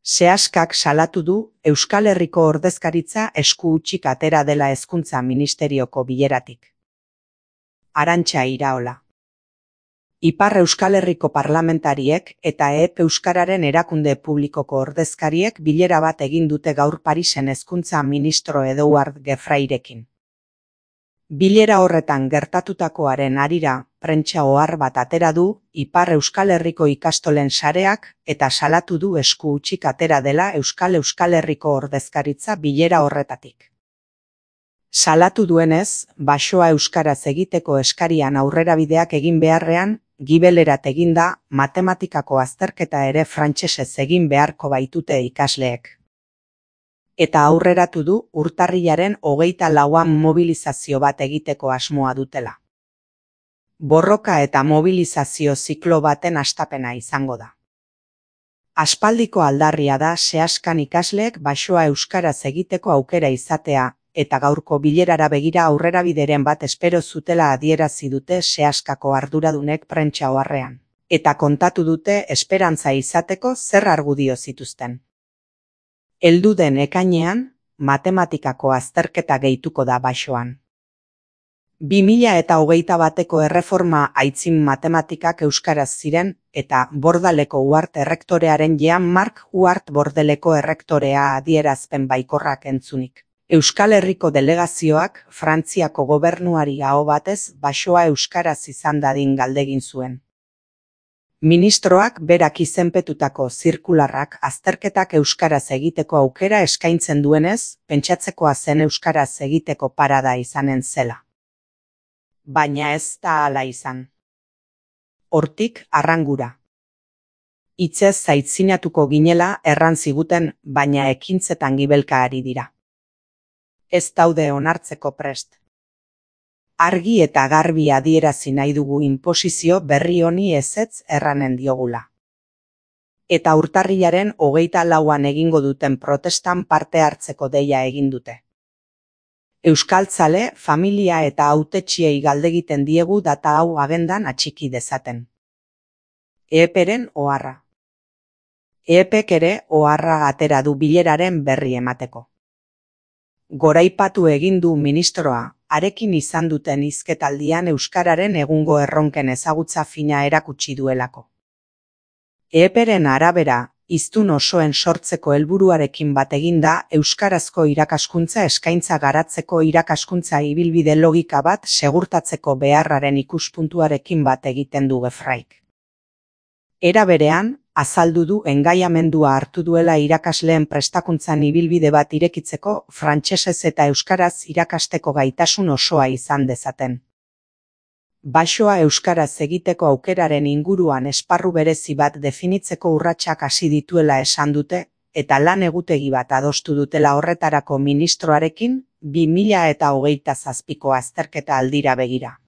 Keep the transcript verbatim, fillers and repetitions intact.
Seaskak salatu du Euskal Herriko ordezkaritza esku hutsik atera dela Hezkuntza Ministerioko bileratik. Arantxa Iraola. Ipar Euskal Herriko parlamentariek eta E P Euskararen erakunde publikoko ordezkariek bilera bat egin dute gaur Parisen Hezkuntza ministro Edouard Gefrairekin. Bilera horretan gertatutakoaren harira prentsa ohar bat atera du Ipar Euskal Herriko ikastolen sareak eta salatu du esku hutsik atera dela Euskal Euskal Herriko ordezkaritza bilera horretatik. Salatu duenez, basoa euskaraz egiteko eskarian aurrerabideak egin beharrean, gibelerat eginda matematikako azterketa ere frantsesez egin beharko baitute ikasleek. Eta aurreratu du urtarrilaren hogeita lauan mobilizazio bat egiteko asmoa dutela. Borroka eta mobilizazio ziklo baten hastapena izango da. Aspaldiko aldarria da Seaskan ikasleek basoa euskaraz egiteko aukera izatea, eta gaurko bilerara begira aurrerabideren bat espero zutela adierazi dute Seaskako arduradunek prentsa oharrean, eta kontatu dute esperantza izateko zer argudio zituzten. Heldu den ekainean, matematikako azterketa gehituko da basoan. bi mila eta hogeita bateko erreforma aitzin matematikak euskaraz ziren, eta Bordaleko Uhart errektorearen Jean Marc Uhart Bordeleko errektorea adierazpen baikorrak entzunik. Euskal Herriko delegazioak Frantziako gobernuari aho batez basoa euskaraz izan dadin galdegin zuen. Ministroak berak izenpetutako zirkularrak azterketak euskaraz egiteko aukera eskaintzen duenez, pentsatzekoa zen euskaraz egiteko parada izanen zela. Baina ez da hala izan. Hortik arrangura. Hitzez zaitzinatuko ginela erran ziguten, baina ekintzetan gibelka ari dira. Ez daude onartzeko prest. Argi eta garbi adierazi nahi dugu inposizio berri honi ezetz erranen diogula. Eta urtarrilaren hogeita lauan egingo duten protestan parte hartzeko deia egin dute. Euskaltzale, familia eta hautetsiei galdegiten diegu data hau agendan atxiki dezaten. E P-ren oharra. E P-k ere oharra atera du bileraren berri emateko. Goraipatu egin du ministroa, harekin izan duten hizketaldian euskararen egungo erronken ezagutza fina erakutsi duelako. E P-ren arabera, hiztun osoen sortzeko helburuarekin bat eginda euskarazko irakaskuntza eskaintza garatzeko irakaskuntza ibilbide logika bat segurtatzeko beharraren ikuspuntuarekin bat egiten du Gefraik. Era berean, azaldu du engaiamendua hartu duela irakasleen prestakuntzan ibilbide bat irekitzeko frantsesez eta euskaraz irakasteko gaitasun osoa izan dezaten. Basoa euskaraz egiteko aukeraren inguruan esparru berezi bat definitzeko urratsak hasi dituela esan dute, eta lan egutegi bat adostu dutela horretarako ministroarekin bi mila eta hogeita zazpiko azterketa aldira begira.